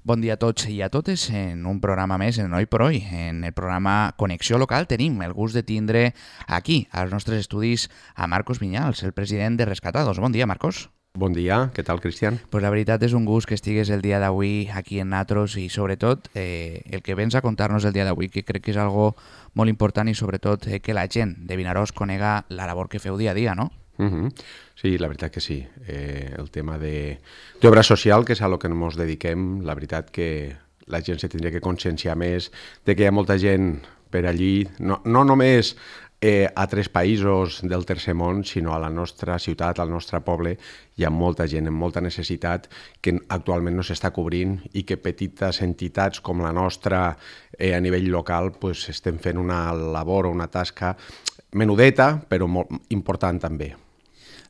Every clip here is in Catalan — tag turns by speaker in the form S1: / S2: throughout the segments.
S1: Bon dia a tots i a totes en un programa més en Hoy por Hoy. En el programa Connexió Local tenim el gust de tindre aquí, als nostres estudis, a Marcos Viñals, el president de Rescatados. Bon dia, Marcos.
S2: Bon dia, què tal, Cristian?
S1: Pues la veritat és un gust que estigues el dia d'avui aquí en Natros i sobretot el que vens a contar-nos el dia d'avui, que crec que és algo molt important i sobretot que la gent de Vinaròs conega la labor que feu dia a dia, no?
S2: Sí, la veritat que sí. El tema d'obra social, que és a lo que ens dediquem, la veritat que la gent se tindria que conscienciar més de que hi ha molta gent per allí, no només a 3 països del tercer món, sinó a la nostra ciutat, al nostre poble, hi ha molta gent amb molta necessitat que actualment no s'està cobrint i que petites entitats com la nostra a nivell local pues, estem fent una labor o una tasca menudeta, però molt important també.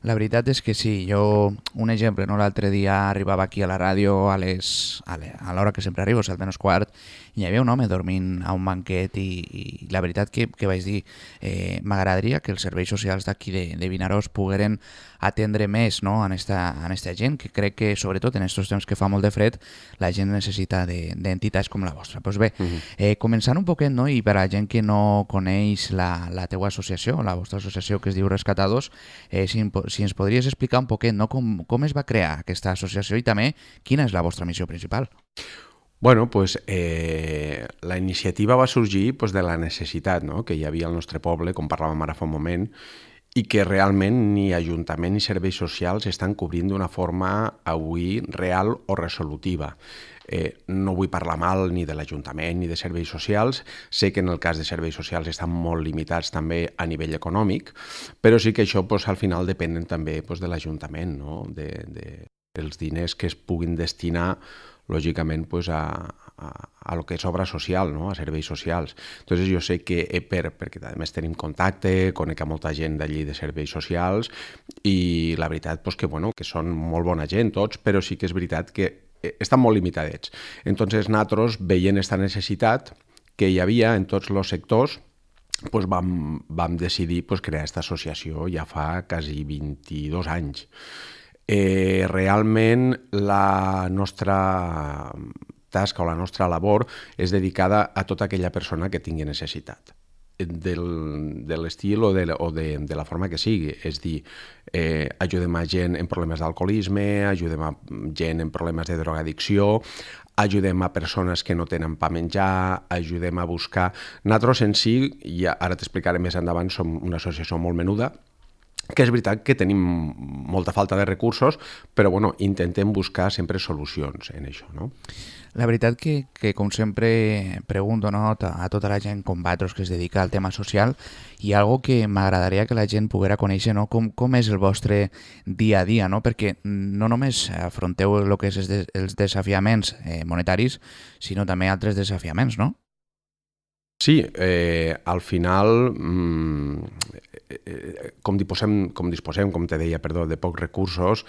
S1: La veritat és que sí, jo, un exemple, no? L'altre dia arribava aquí a la ràdio a l'hora que sempre arribo, 7:15, i hi havia un home dormint a un banquet i la veritat que vaig dir, m'agradaria que els serveis socials d'aquí de Vinaròs pogueren atendre més, no? a esta gent, que crec que sobretot en aquests temps que fa molt de fred la gent necessita d'entitats com la vostra. Pues bé, començant un poquet, no? I per a la gent que no coneix la teua associació, la vostra associació que es diu Rescatados, si ens podries explicar un poquet, no? com es va crear aquesta associació i també quina és la vostra missió principal.
S2: Bueno, pues la iniciativa va sorgir pues, de la necessitat, no? Que hi havia al nostre poble, com parlàvem ara fa un moment, i que realment ni Ajuntament ni serveis socials estan cobrint d'una forma avui real o resolutiva. No vull parlar mal ni de l'Ajuntament ni de serveis socials, sé que en el cas de serveis socials estan molt limitats també a nivell econòmic, però sí que això pues, al final depenen també pues, de l'Ajuntament, no? Els diners que es puguin destinar lògicament pues, a lo que és obra social, no? A serveis socials. Entonces jo sé que perquè a més tenim contacte, conec a molta gent d'allí de serveis socials i la veritat pues, que són molt bona gent tots, però sí que és veritat que estan molt limitadets. Entonces nosaltres, veient aquesta necessitat que hi havia en tots els sectors, pues vam decidir pues, crear aquesta associació ja fa quasi 22 anys. Realment la nostra tasca o la nostra labor és dedicada a tota aquella persona que tingui necessitat de l'estil o de la forma que sigui, és dir, ajudem a gent en problemes d'alcoholisme, ajudem a gent en problemes de drogadicció, ajudem a persones que no tenen pa menjar, ajudem a buscar... Nosaltres en si, i ara t'explicaré més endavant, som una associació molt menuda, que és veritat que tenim molta falta de recursos, però intentem buscar sempre solucions en això, no?
S1: La veritat que com sempre pregunto, no, a tota la gent com vosaltres que es dedica al tema social, hi ha algo que m'agradaria que la gent poguera conèixer, no? Com és el vostre dia a dia, no? Perquè no només afronteu el que és els desafiaments monetaris, sinó també altres desafiaments, no?
S2: Sí, al final, com disposem, com te deia, de pocs recursos,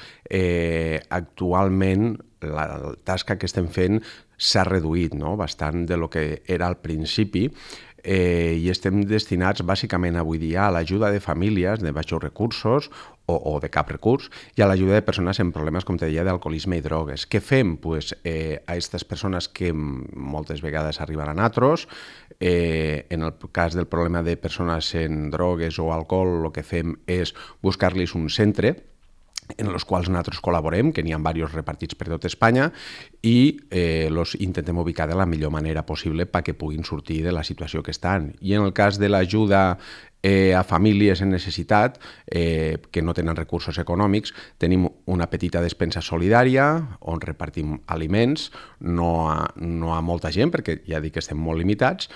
S2: actualment la tasca que estem fent s'ha reduït, no? Bastant de lo que era al principi, i estem destinats bàsicament avui dia a l'ajuda de famílies de baixos recursos o de cap recurs i a l'ajuda de persones amb problemes, com te deia, d'alcoholisme i drogues. Què fem? Pues, a aquestes persones que moltes vegades arriben a nosaltres, en el cas del problema de persones en drogues o alcohol, el que fem és buscar-los un centre en els quals nosaltres col·laborem, que n'hi ha diversos repartits per tot Espanya, i els intentem ubicar de la millor manera possible perquè puguin sortir de la situació que estan. I en el cas de l'ajuda a famílies en necessitat que no tenen recursos econòmics, tenim una petita despensa solidària on repartim aliments, no a molta gent, perquè ja dic que estem molt limitats,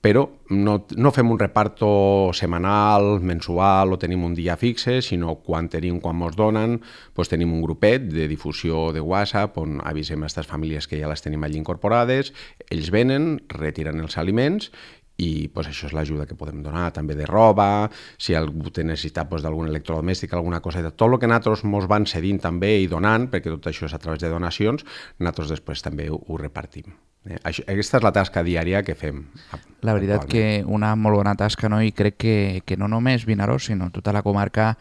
S2: però no fem un reparto setmanal, mensual o tenim un dia fixe, sinó quan mos donen, doncs tenim un grupet de difusió de WhatsApp on avisem a aquestes famílies que ja les tenim allí incorporades, ells venen, retiren els aliments i això és l'ajuda que podem donar, també de roba, si algú té necessitat d'algun electrodomèstic, alguna coseta, tot el que nosaltres ens van cedint també i donant, perquè tot això és a través de donacions, nosaltres després també ho repartim. Aquesta és la tasca diària que fem.
S1: La veritat que una molt bona tasca, no? I crec que no només Vinaròs, sinó tota la comarca,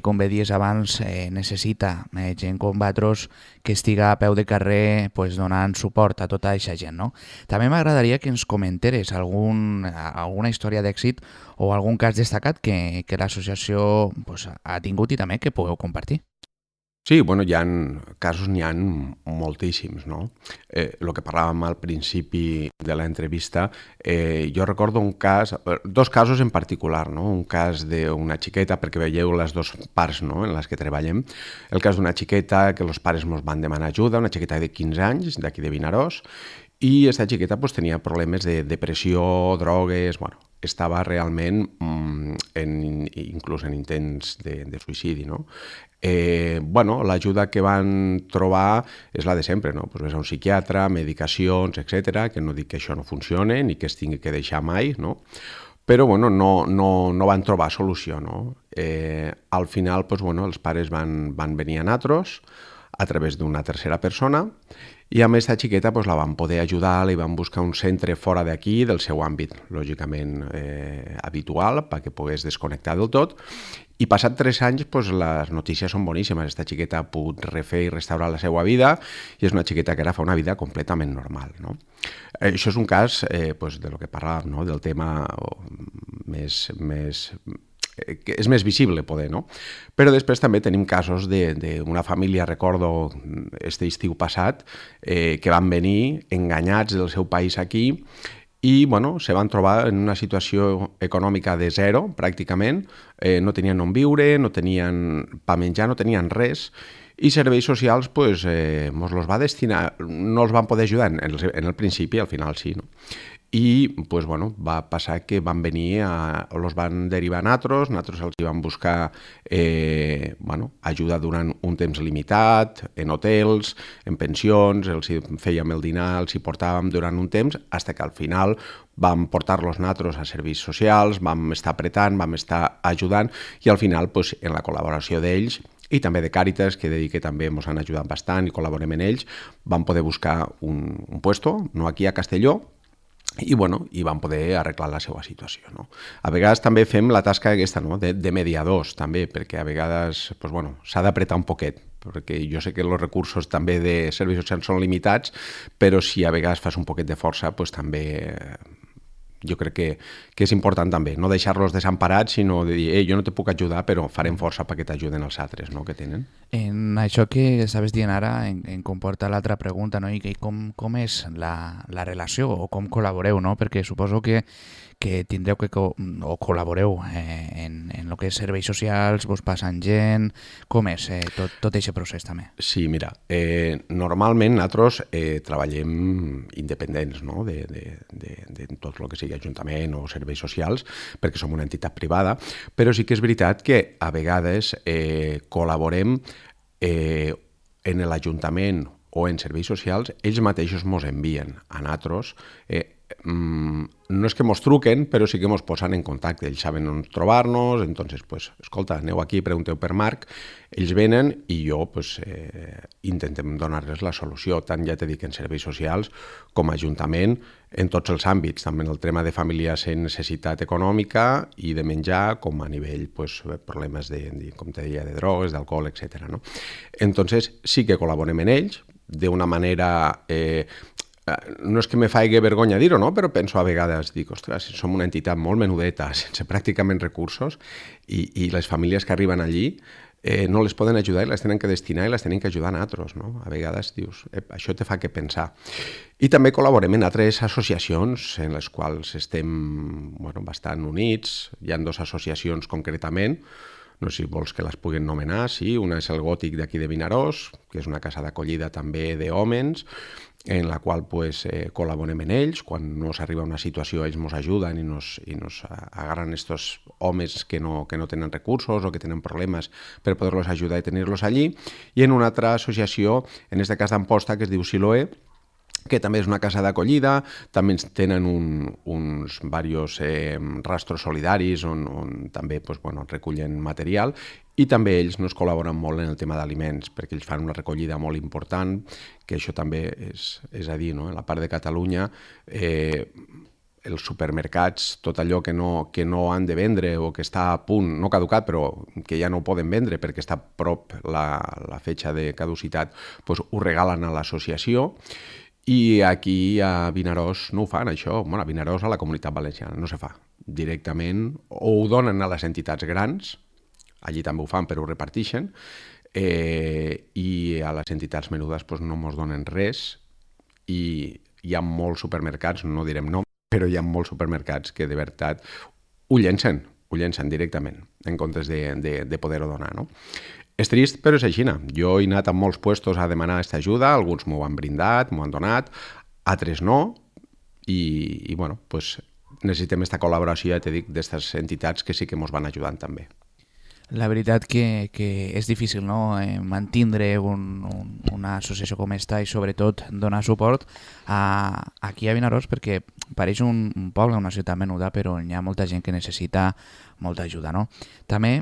S1: com bé dies abans, necessita gent com vosaltres que estiga a peu de carrer pues, donant suport a tota aquesta gent. No? També m'agradaria que ens comenteres alguna història d'èxit o algun cas destacat que l'associació pues, ha tingut i també que pugueu compartir.
S2: Sí, bueno, casos n'hi ha moltíssims, no? El que parlàvem al principi de l'entrevista, jo recordo dos casos en particular, no? Un cas d'una xiqueta, perquè veieu les dues parts, no?, en les que treballem. El cas d'una xiqueta que els pares ens van demanar ajuda, una xiqueta de 15 anys, d'aquí de Vinaròs, i aquesta xiqueta pues, tenia problemes de depressió, drogues, bueno, estava realment inclús en intents de suïcidi, no? Bueno, l'ajuda que van trobar és la de sempre, no? Pues ves a un psiquiatre, medicacions, etc, que no dic que això no funcione ni que es tingui que deixar mai, no? Però bueno, no van trobar solució, no? Al final, pues, bueno, els pares van venir a nosaltres a través d'una tercera persona i amb aquesta xiqueta pues, la van poder ajudar, li van buscar un centre fora d'aquí, del seu àmbit, lògicament habitual, perquè pogués desconnectar del tot. I passat 3 anys, pues, les notícies són boníssimes. Aquesta xiqueta ha pogut refer i restaurar la seva vida i és una xiqueta que ara fa una vida completament normal. No? Això és un cas pues, de lo que parlàvem, no? Del tema que és més visible, poder, no? Però després també tenim casos d'una família, recordo, este estiu passat, que van venir enganyats del seu país aquí i, bueno, se van trobar en una situació econòmica de zero, pràcticament, no tenien on viure, no tenien pa menjar, no tenien res, i serveis socials, pues, mos los va destinar, no els van poder ajudar en el principi, al final sí, no? I pues, bueno, va passar que van venir, els van derivar a nosaltres els van buscar bueno, ajuda durant un temps limitat, en hotels, en pensions, els fèiem el dinar, els hi portàvem durant un temps, fins que al final vam portar-los nosaltres a serveis socials, vam estar apretant, vam estar ajudant i al final, pues, en la col·laboració d'ells i també de Càritas, que he de dir que també ens han ajudat bastant i col·laborem en ells, vam poder buscar un puesto, no aquí a Castelló, i bueno, i van poder arreglar la seva situació. No? A vegades també fem la tasca aquesta, no? de mediadors, també, perquè a vegades pues, bueno, s'ha d'apretar un poquet, perquè jo sé que els recursos també de serveis socials són limitats, però si a vegades fas un poquet de força, pues, també jo crec que és important també, no deixar-los desemparats, sinó de dir, jo no te puc ajudar, però farem força perquè t'ajuden els altres, no?, que tenen.
S1: En això que estaves dient ara em comporta l'altra pregunta, no? I com és la relació o com col·laboreu, no? Perquè suposo que tindreu o col·laboreu en el que és serveis socials, vos passen gent, com és tot aquest procés també?
S2: Sí, mira, normalment nosaltres treballem independents, no?, de tot el que sigui ajuntament o serveis socials, perquè som una entitat privada, però sí que és veritat que a vegades col·laborem en l'Ajuntament o en serveis socials, ells mateixos mos envien a nosaltres. No és que mos truquen, però sí que mos posen en contacte. Ells saben on trobar-nos, entonces, pues, escolta, aneu aquí, pregunteu per Marc, ells venen i jo pues, intentem donar-les la solució, tant ja t'he dit en serveis socials com a ajuntament, en tots els àmbits, també en el tema de famílies en necessitat econòmica i de menjar, com a nivell pues, problemes com te deia, de drogues, d'alcohol, etc. No? Entonces, sí que col·laborem en ells, d'una manera... no és que me faci vergonya dir-ho, no? Però penso a vegades, dic, ostres, som una entitat molt menudeta, sense pràcticament recursos, i les famílies que arriben allí no les poden ajudar i les tenen que destinar i les tenen que ajudar a altres, no? A vegades dius, això te fa que pensar. I també col·laborem en altres associacions en les quals estem bastant units. Hi ha 2 associacions concretament, no sé si vols que les puguin nomenar, sí, una és el Gòtic d'aquí de Vinaròs, que és una casa d'acollida també d'hòmens, en la qual pues, col·laborem en ells. Quan no s'arriba a una situació, ells ens ajuden i nos agarran estos homes que no tenen recursos o que tenen problemes per poder-los ajudar i tenir-los allí. I en una altra associació, en aquest cas d'Amposta, que es diu Siloé, que també és una casa d'acollida, també tenen uns diversos rastros solidaris on també recullen material I també ells nos col·laboren molt en el tema d'aliments, perquè ells fan una recollida molt important, que això també és a dir, no? En la part de Catalunya, els supermercats, tot allò que no han de vendre o que està a punt, no caducat, però que ja no ho poden vendre perquè està a prop la fetge de caducitat, doncs ho regalen a l'associació. I aquí a Vinaròs no ho fan, això. Bueno, a Vinaròs, a la Comunitat Valenciana, no se fa. Directament o ho donen a les entitats grans, allí també ho fan però ho reparteixen, i a les entitats menudes doncs, no mos donen res, i hi ha molts supermercats, no direm nom, però hi ha molts supermercats que de veritat ho llencen directament en comptes de poder-ho donar, no? És trist, però és així. Jo he anat a molts puestos a demanar aquesta ajuda, alguns m'ho han brindat, m'ho han donat, altres no, i bueno, pues, necessitem aquesta col·laboració, ja t'he dit, d'aquestes entitats que sí que ens van ajudant també.
S1: La veritat que és difícil, no? Mantindre una associació com esta i sobretot donar suport aquí a Vinaròs, perquè pareix un poble, una ciutat menuda, però hi ha molta gent que necessita molta ajuda, no? També,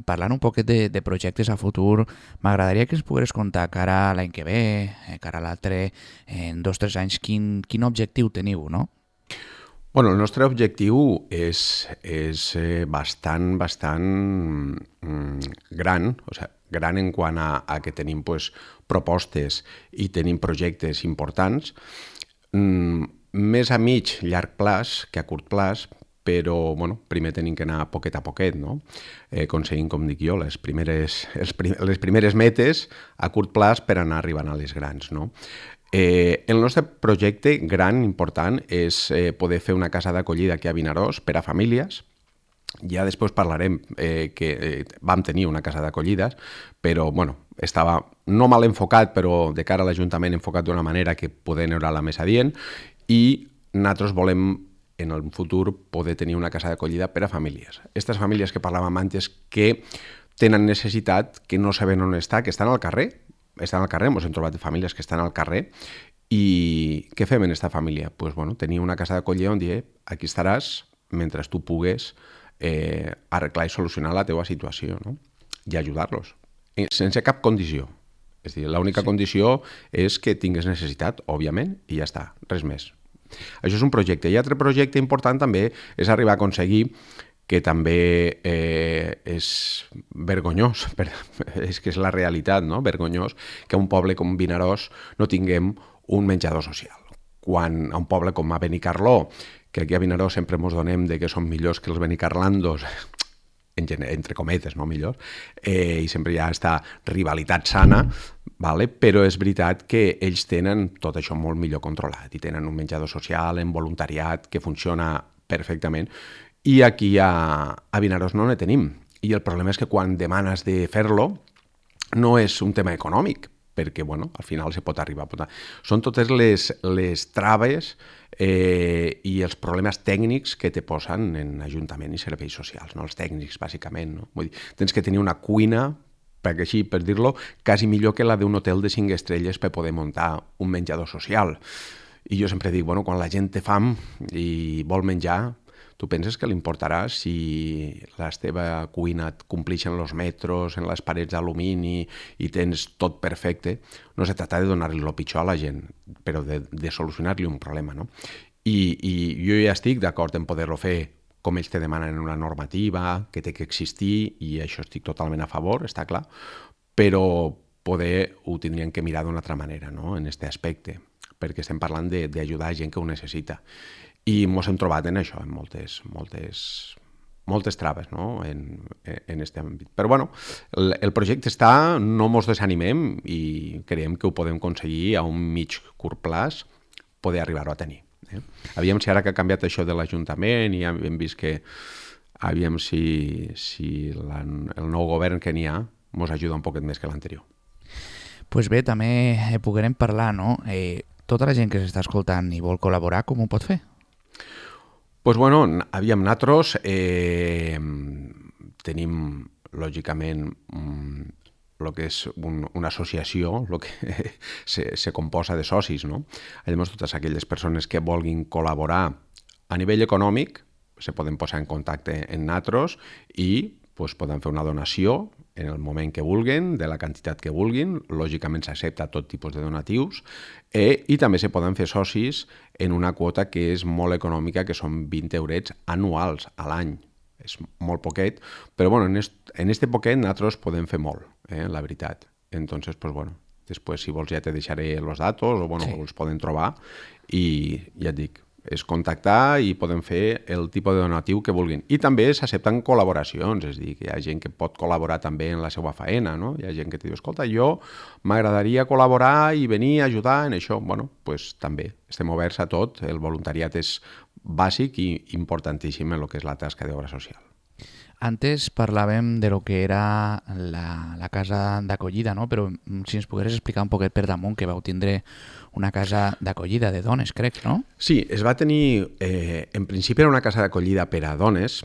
S1: parlant un poquet de projectes a futur, m'agradaria que ens pogués contar cara a l'any que ve, cara a l'altre, en 2 o 3 anys, quin objectiu teniu, no?
S2: Bueno, el nostre objectiu és bastant gran, o sigui, gran en quant a que tenim pues, propostes i tenim projectes importants, més a mig, llarg plaç que a curt plaç, però bueno, primer tenim que anar poquet a poquet, no? Aconseguint, com dic jo, les primeres metes a curt plaç per anar arribant a les grans, no? El nostre projecte gran, important, és poder fer una casa d'acollida aquí a Vinaròs per a famílies. Ja després parlarem que vam tenir una casa d'acollides, però bueno, estava no mal enfocat, però de cara a l'Ajuntament enfocat d'una manera que poder anar la més adient, i nosaltres volem en el futur poder tenir una casa d'acollida per a famílies. Aquestes famílies que parlàvem antes que tenen necessitat, que no saben on està, que estan al carrer, ens hem trobat famílies que estan al carrer, i què fem en aquesta família? Pues, bueno, tenir una casa d'acollida on dir aquí estaràs mentre tu pugues arreglar i solucionar la teva situació, no? I ajudar-los, sense cap condició. És a dir, l'única condició és que tingues necessitat, òbviament, i ja està, res més. Això és un projecte. I altre projecte important també és arribar a aconseguir, que també és vergonyós, és que és la realitat, no? Vergonyós que a un poble com Vinaròs no tinguem un menjador social. Quan a un poble com a Benicarló, que aquí a Vinaròs sempre ens donem de que són millors que els benicarlandos, entre cometes, no millors, i sempre hi ha aquesta rivalitat sana, vale? Però és veritat que ells tenen tot això molt millor controlat i tenen un menjador social en voluntariat que funciona perfectament. I aquí a Vinaròs no ne tenim. I el problema és que quan demanes de fer-lo no és un tema econòmic, perquè bueno, al final se pot arribar a posar. Són totes les traves i els problemes tècnics que te posen en Ajuntament i serveis socials, no? Els tècnics, bàsicament. No? Vull dir, tens que tenir una cuina, perquè així, per dir-lo, quasi millor que la d'un hotel de 5 estrelles per poder muntar un menjador social. I jo sempre dic, bueno, quan la gent té fam i vol menjar, tu penses que li importarà si la teva cuina et complixen els metros, en les parets d'alumini i tens tot perfecte? No se tracta de donar-li el pitjor a la gent, però de solucionar-li un problema, no? I jo ja estic d'acord en poder-lo fer com ells te demanen en una normativa, que té que existir, i això estic totalment a favor, està clar, però poder ho tindrien que mirar d'una altra manera, no?, en aquest aspecte, perquè estem parlant d'ajudar a gent que ho necessita. I ens hem trobat en això, en moltes traves, no? en aquest àmbit. Però bueno, el projecte està, no ens desanimem i creiem que ho podem aconseguir a un mig curt plaç poder arribar-ho a tenir. Aviam si ara que ha canviat això de l'Ajuntament i hem vist que aviam si el nou govern que n'hi ha ens ajuda un poquet més que l'anterior.
S1: Pues bé, també podrem parlar, no? Tota la gent que s'està escoltant i vol col·laborar, com ho pot fer?
S2: Pues bueno, aviam, nosaltres tenim, lògicament, el que és una associació, el que se composa de socis, no? Llavors, totes aquelles persones que vulguin col·laborar a nivell econòmic se poden posar en contacte amb nosaltres i doncs poden fer una donació en el moment que vulguin, de la quantitat que vulguin, lògicament s'accepta tot tipus de donatius, i també se poden fer socis en una quota que és molt econòmica, que són 20 eurets anuals a l'any. És molt poquet, però bueno, en este poquet nosaltres podem fer molt, la veritat. Entonces, pues bueno, després si vols ja te deixaré els datos, o bueno, sí, els poden trobar, i ja et dic, és contactar i podem fer el tipus de donatiu que vulguin. I també s'accepten col·laboracions, és a dir, que hi ha gent que pot col·laborar també en la seva faena, no? Hi ha gent que te diu, escolta, jo m'agradaria col·laborar i venir a ajudar en això. Bueno, doncs també estem oberts a tot, el voluntariat és bàsic i importantíssim en el que és la tasca d'obra social.
S1: Antes parlàvem de lo que era la casa d'acollida, no? Però si ens pogueres explicar un poquet per damunt, que vau tindre una casa d'acollida de dones, crec, no?
S2: Sí, es va tenir, en principi era una casa d'acollida per a dones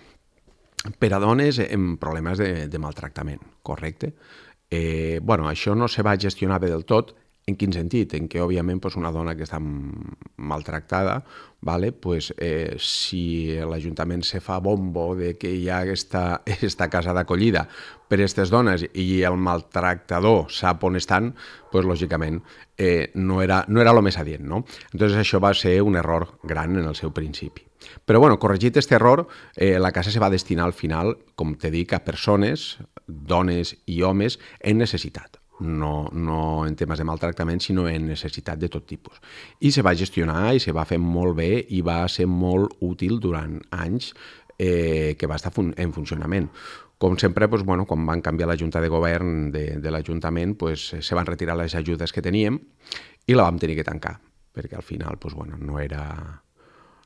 S2: amb problemes de maltractament, correcte? Bueno, això no se va gestionar bé del tot. En quin sentit? En què, òbviament, una dona que està maltractada, si l'Ajuntament se fa bombo de que hi ha aquesta casa d'acollida per a aquestes dones i el maltractador sap on estan, lògicament no era el més adient, no? Entonces això va ser un error gran en el seu principi. Però, bueno, corregit aquest error, la casa se va destinar al final, com te dic, a persones, dones i homes en necessitat. No en temes de maltractament, sinó en necessitat de tot tipus. I se va gestionar i se va fer molt bé i va ser molt útil durant anys que va estar en funcionament. Com sempre, quan van canviar la junta de govern de l'Ajuntament, se van retirar les ajudes que teníem i la vam tenir que tancar, perquè al final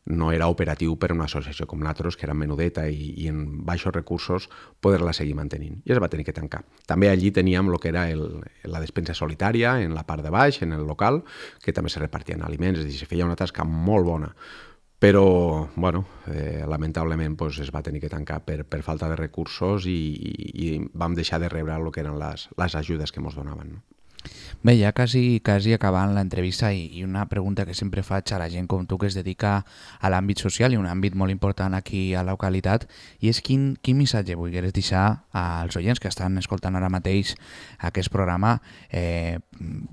S2: no era operatiu per a una associació com nosaltres, que era menudeta i en baixos recursos, poder-la seguir mantenint. I es va tenir que tancar. També allí teníem el que era la despensa solitària, en la part de baix, en el local, que també se repartien aliments, és a dir, se feia una tasca molt bona. Però, lamentablement, es va tenir que tancar per falta de recursos i vam deixar de rebre el que eren les ajudes que ens donaven, no?
S1: Bé, ja quasi acabant l'entrevista i una pregunta que sempre faig a la gent com tu que es dedica a l'àmbit social i un àmbit molt important aquí a la localitat, i és quin missatge volgueres deixar als oients que estan escoltant ara mateix aquest programa.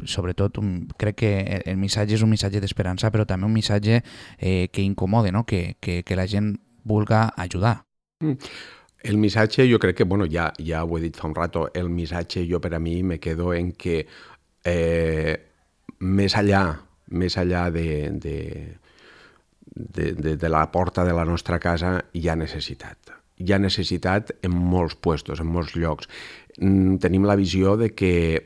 S1: Sobretot crec que el missatge és un missatge d'esperança, però també un missatge que incomode, no? que la gent vulga ajudar.
S2: El missatge, jo crec que, ja ho he dit fa un rato, el missatge jo per a mi me quedo en que més allà de la porta de la nostra casa hi ha necessitat. Hi ha necessitat en molts puestos, en molts llocs. Tenim la visió de que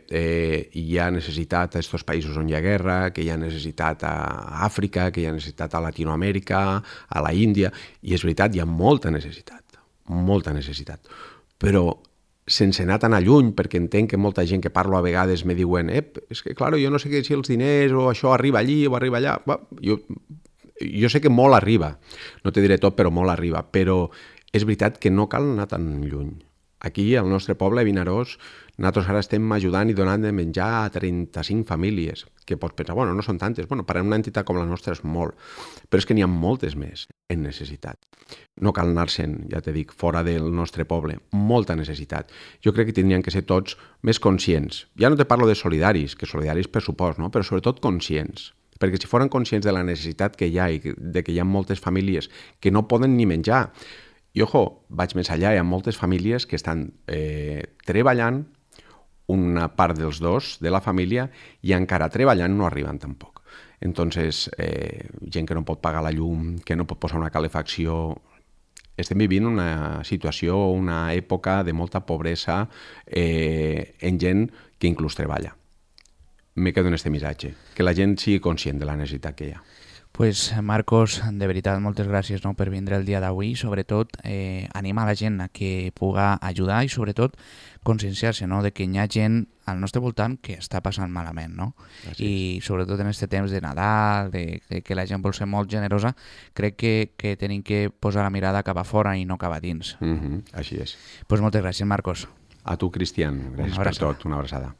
S2: hi ha necessitat a aquests països on hi ha guerra, que hi ha necessitat a Àfrica, que hi ha necessitat a Latinoamèrica, a la Índia, i és veritat, hi ha molta necessitat, però sense anar tan lluny, perquè entenc que molta gent que parlo a vegades me diuen és que, clar, jo no sé si els diners o això arriba allí o arriba allà. Jo sé que molt arriba, no te diré tot, però molt arriba, però és veritat que no cal anar tan lluny. Aquí, al nostre poble, a Vinaròs, nosaltres ara estem ajudant i donant de menjar a 35 famílies, que pots pensar, no són tantes, per a una entitat com la nostra és molt, però és que n'hi ha moltes més en necessitat. No cal anar-se'n, ja t'he dit, fora del nostre poble, molta necessitat. Jo crec que tindrien que ser tots més conscients. Ja no te parlo de solidaris, que solidaris per supost, no? Però sobretot conscients. Perquè si foren conscients de la necessitat que hi ha i de que hi ha moltes famílies que no poden ni menjar. I, ojo, vaig més allà, hi ha moltes famílies que estan treballant, una part dels dos de la família, i encara treballant no arriben tampoc. Entonces, gent que no pot pagar la llum, que no pot posar una calefacció. Estem vivint una situació, una època de molta pobresa en gent que inclús treballa. Me quedo en este missatge, que la gent sigui conscient de la necessitat que hi ha.
S1: Pues Marcos, de veritat, moltes gràcies per vindre el dia d'avui. Sobretot, animar la gent a que puga ajudar i, sobretot, conscienciar-se de que hi ha gent al nostre voltant que està passant malament, no? I, sobretot, en aquest temps de Nadal, de que la gent vol ser molt generosa, crec que tenim que posar la mirada cap a fora i no cap a dins.
S2: Així és.
S1: Pues moltes gràcies, Marcos.
S2: A tu, Cristian. Gràcies per tot. Una abraçada.